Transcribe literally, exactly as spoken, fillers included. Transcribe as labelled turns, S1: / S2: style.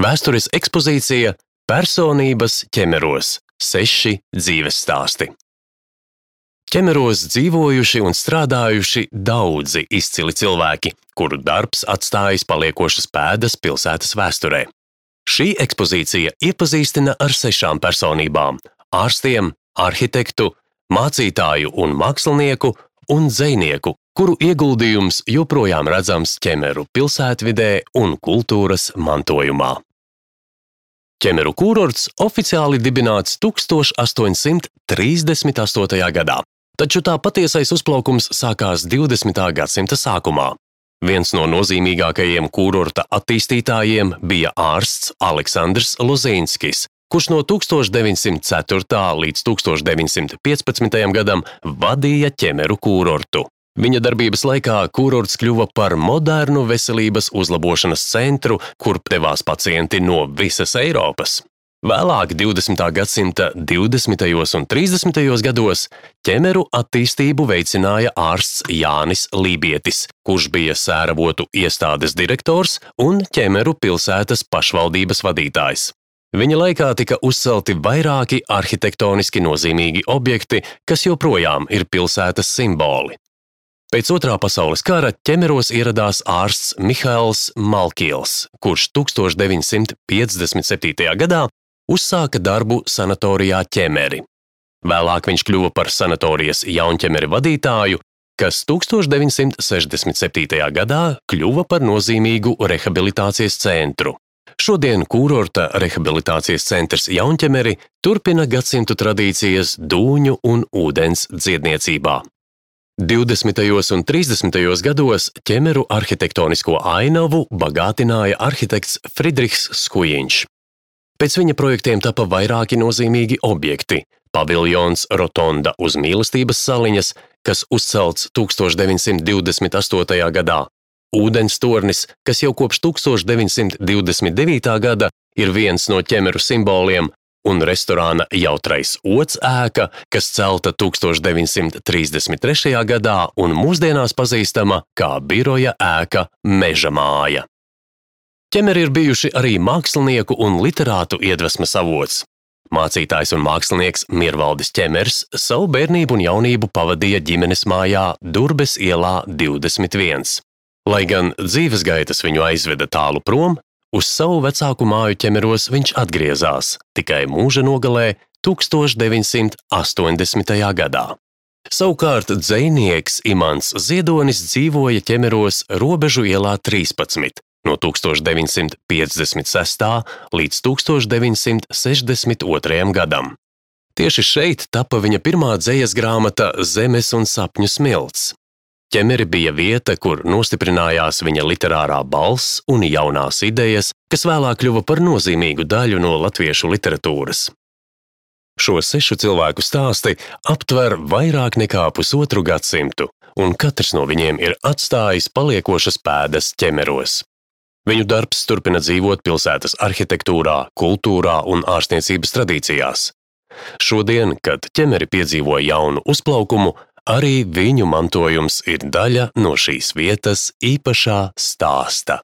S1: Vēstures ekspozīcija Personības ķemeros – seši dzīves stāsti. Ķemeros dzīvojuši un strādājuši daudzi izcili cilvēki, kuru darbs atstājis paliekošas pēdas pilsētas vēsturē. Šī ekspozīcija iepazīstina ar sešām personībām – ārstiem, arhitektu, mācītāju un mākslinieku un dzejnieku, kuru ieguldījums joprojām redzams Ķemeru pilsētvidē un kultūras mantojumā. Ķemeru kūrorts oficiāli dibināts tūkstoš astoņsimt trīsdesmit astotajā gadā, taču tā patiesais uzplaukums sākās divdesmitā gadsimta sākumā. Viens no nozīmīgākajiem kūrorta attīstītājiem bija ārsts Aleksandrs Lozīnskis, kurš no tūkstoš deviņsimt ceturtā līdz tūkstoš deviņsimt piecpadsmitajam gadam vadīja Ķemeru kūrortu. Viņa darbības laikā kūrorts kļuva par modernu veselības uzlabošanas centru, kur devās pacienti no visas Eiropas. Vēlāk divdesmitā gadsimta divdesmitajos un trīsdesmitajos gados Ķemeru attīstību veicināja ārsts Jānis Lībietis, kurš bija sēravotu iestādes direktors un Ķemeru pilsētas pašvaldības vadītājs. Viņa laikā tika uzcelti vairāki arhitektoniski nozīmīgi objekti, kas joprojām ir pilsētas simboli. Pēc otrā pasaules kara Ķemeros ieradās ārsts Mihails Malkils, kurš tūkstoš deviņsimt piecdesmit septītajā gadā uzsāka darbu sanatorijā Ķemeri. Vēlāk viņš kļuva par sanatorijas Jaunķemeri vadītāju, kas tūkstoš deviņsimt sešdesmit septītajā gadā kļuva par nozīmīgu rehabilitācijas centru. Šodien kūrorta rehabilitācijas centrs Jaunķemeri turpina gadsimtu tradīcijas dūņu un ūdens dziedniecībā. divdesmitajos un trīsdesmitajos gados Ķemeru arhitektonisko ainavu bagātināja arhitekts Fridrihs Skujiņš. Pēc viņa projektiem tapa vairāki nozīmīgi objekti – paviljons Rotonda uz Mīlestības saliņas, kas uzcelts tūkstoš deviņsimt divdesmit astotajā gadā, ūdenstornis, kas jau kopš tūkstoš deviņsimt divdesmit devītā gada ir viens no Ķemeru simboliem, un restorāna Jautrais ods ēka, kas celta tūkstoš deviņsimt trīsdesmit trešajā gadā un mūsdienās pazīstama kā biroja ēka Meža māja. Ķemeri ir bijuši arī mākslinieku un literātu iedvesmas avots. Mācītājs un mākslinieks Mirvaldis Ķemers savu bērnību un jaunību pavadīja ģimenes mājā Durbes ielā divdesmit viens. Lai gan dzīves gaitas viņu aizveda tālu prom, uz savu vecāku māju Ķemeros viņš atgriezās, tikai mūža nogalē tūkstoš deviņsimt astoņdesmitajā gadā. Savukārt dzejnieks Imants Ziedonis dzīvoja Ķemeros Robežu ielā trīspadsmit, no tūkstoš deviņsimt piecdesmit sestā līdz tūkstoš deviņsimt sešdesmit otrajam gadam. Tieši šeit tapa viņa pirmā dzejas grāmata Zemes un sapņu smilts. Ķemeri bija vieta, kur nostiprinājās viņa literārā balss un jaunās idejas, kas vēlāk kļuva par nozīmīgu daļu no latviešu literatūras. Šo sešu cilvēku stāsti aptver vairāk nekā pusotru gadsimtu, un katrs no viņiem ir atstājis paliekošas pēdas Ķemeros. Viņu darbs turpina dzīvot pilsētas arhitektūrā, kultūrā un ārstniecības tradīcijās. Šodien, kad Ķemeri piedzīvo jaunu uzplaukumu, arī viņu mantojums ir daļa no šīs vietas īpašā stāsta.